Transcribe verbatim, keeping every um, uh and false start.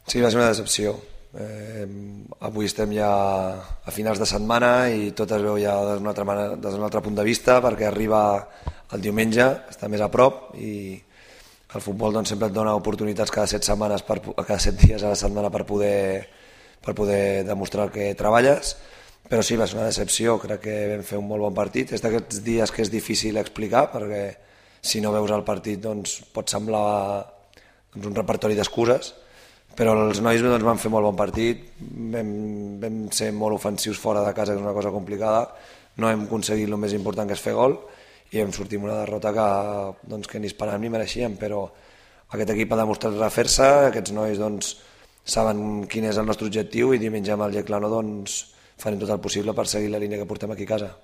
Sí, va ser una decepció. Eh, avui estem ja a finals de setmana i tot es veu ja des d'un altre, manera, des d'un altre punt de vista, perquè arriba el diumenge, està més a prop i el futbol doncs, sempre et dona oportunitats cada set setmanes per, cada set dies a la setmana per poder, per poder demostrar que treballes, però sí, va ser una decepció. Crec que vam fer un molt bon partit. És d'aquests dies que és difícil explicar, perquè si no veus el partit doncs, pot semblar doncs, un repertori d'excuses, però els nois doncs, van fer molt bon partit, vam, vam ser molt ofensius fora de casa, que és una cosa complicada, no hem aconseguit el més important, que és fer gol, i hem sortit amb una derrota que, doncs, que ni esperàvem ni mereixíem, però aquest equip ha demostrat refer-se, aquests nois doncs, saben quin és el nostre objectiu i diumenge amb el Yeclano doncs, farem tot el possible per seguir la línia que portem aquí a casa.